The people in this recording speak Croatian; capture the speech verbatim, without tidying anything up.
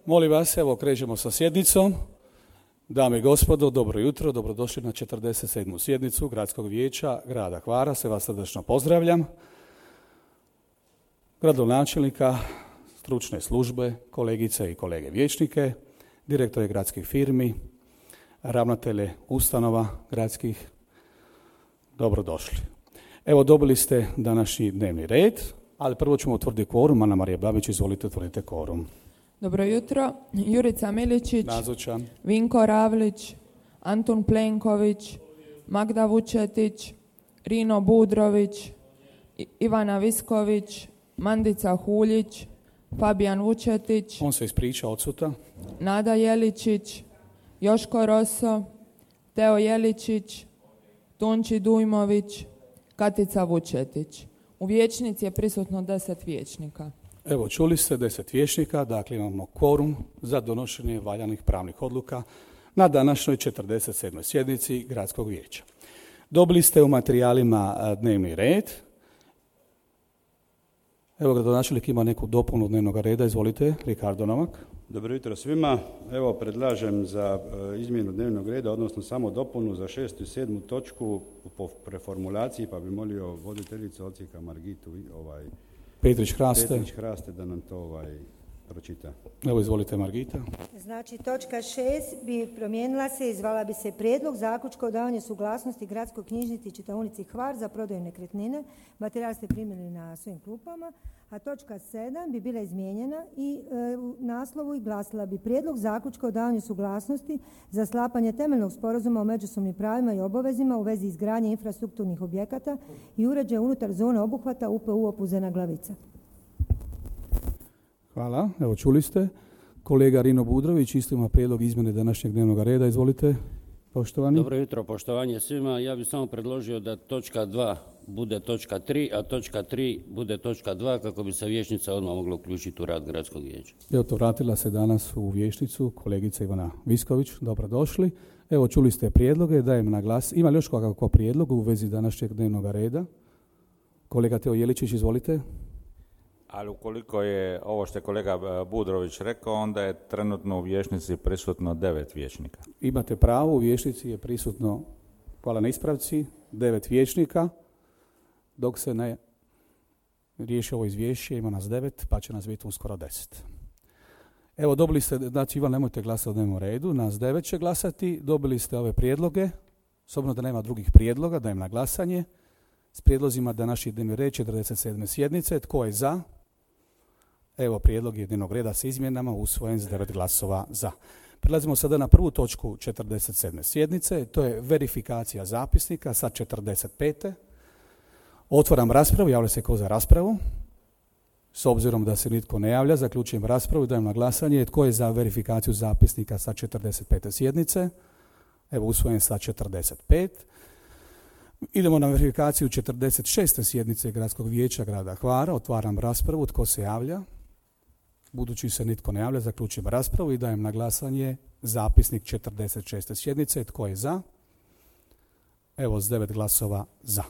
Molim vas, evo krećemo sa sjednicom. Dame i gospodo, dobro jutro, dobrodošli na četrdeset sedmu sjednicu Gradskog vijeća grada Hvara. Sve vas srdačno pozdravljam. Gradonačelnika, stručne službe, kolegice i kolege vijećnike, direktore gradskih firmi, ravnatelje ustanova gradskih, dobrodošli. Evo, dobili ste današnji dnevni red, ali prvo ćemo utvrditi kvorum. Ana Marija Babić, izvolite, utvrdite kvorum. Dobro jutro. Jurica Miličić, nazočan. Vinko Ravlić, Antun Plenković, Magda Vučetić, Rino Budrović, I- Ivana Visković, Mandica Huljić, Fabijan Vučetić, On se ispriča, odsutan. Nada Jeličić, Joško Roso, Teo Jeličić, Tunči Dujmović, Katica Vučetić. U vijećnici je prisutno deset vijećnika. Evo, čuli ste deset vijećnika, dakle imamo kvorum za donošenje valjanih pravnih odluka na današnjoj četrdeset sedmoj sjednici Gradskog vijeća. Dobili ste u materijalima dnevni red. Evo, gradonačelnik ima neku dopunu dnevnog reda, izvolite, Ricardo Novak. Dobro jutro svima. Evo, predlažem za e, izmjenu dnevnog reda, odnosno samo dopunu za šestu i sedmu točku po preformulaciji, pa bi molio voditeljicu odsjeka Margitu ovaj, Petrić Hraste. Petrić Hraste da nam to ovaj, pročita. Evo, izvolite, Margita. Znači, točka šest bi promijenila se i zvala bi se Prijedlog zaključka o davanju suglasnosti Gradskoj knjižnici i čitaonici Hvar za prodaju nekretnine. Materijal ste primili na svim klupama. A točka sedam bi bila izmijenjena i e, u naslovu i glasila bi Prijedlog zaključka o davanju suglasnosti za sklapanje temeljnog sporazuma o međusobnim pravima i obavezima u vezi izgradnje infrastrukturnih objekata i uređaja unutar zone obuhvata U P U Opuzena Glavica. Hvala. Evo, čuli ste. Kolega Rino Budrović isto ima prijedlog izmjene današnjeg dnevnog reda. Izvolite, poštovani. Dobro jutro, poštovanje svima. Ja bih samo predložio da točka dva bude točka tri, a točka tri bude točka dva, kako bi se vijećnica odmah mogla uključiti u rad Gradskog vijeća. Evo, to vratila se danas u vijećnicu kolegica Ivana Visković. Dobrodošli. Evo, čuli ste prijedloge, dajem na glas. Ima li još kakva prijedlog u vezi današnjeg dnevnog reda? Kolega Teo Jeličić, izvolite. Ali ukoliko je ovo što je kolega Budrović rekao, onda je trenutno u vijećnici prisutno devet vijećnika. Imate pravo, u vijećnici je prisutno, hvala na ispravci, devet vijećnika, dok se ne riješi ovo izvješće, ima nas devet, pa će nas biti uskoro deset. Evo, dobili ste, znači Ivan, nemojte glasati o dnevnom redu, nas devet će glasati, dobili ste ove prijedloge, s obzirom da nema drugih prijedloga, dajem na glasanje, s prijedlozima današnji dnevni red četrdeset sedme sjednice, tko je za? Evo, prijedlog je dnevnog reda s izmjenama usvojen s devet glasova za. Prelazimo sada na prvu točku četrdeset sedme sjednice, to je verifikacija zapisnika sa četrdeset pete. Otvaram raspravu, javlja se ko za raspravu. S obzirom da se nitko ne javlja, zaključujem raspravu i dajem na glasanje tko je za verifikaciju zapisnika sa četrdeset pete sjednice. Evo, usvojen sa četrdeset pet. Idemo na verifikaciju četrdeset šeste sjednice Gradskog vijeća grada Hvara. Otvaram raspravu. Tko se javlja? Budući se nitko ne javlja, zaključujem raspravu i dajem na glasanje zapisnik četrdeset šeste sjednice. Tko je za? Evo, s devet glasova za.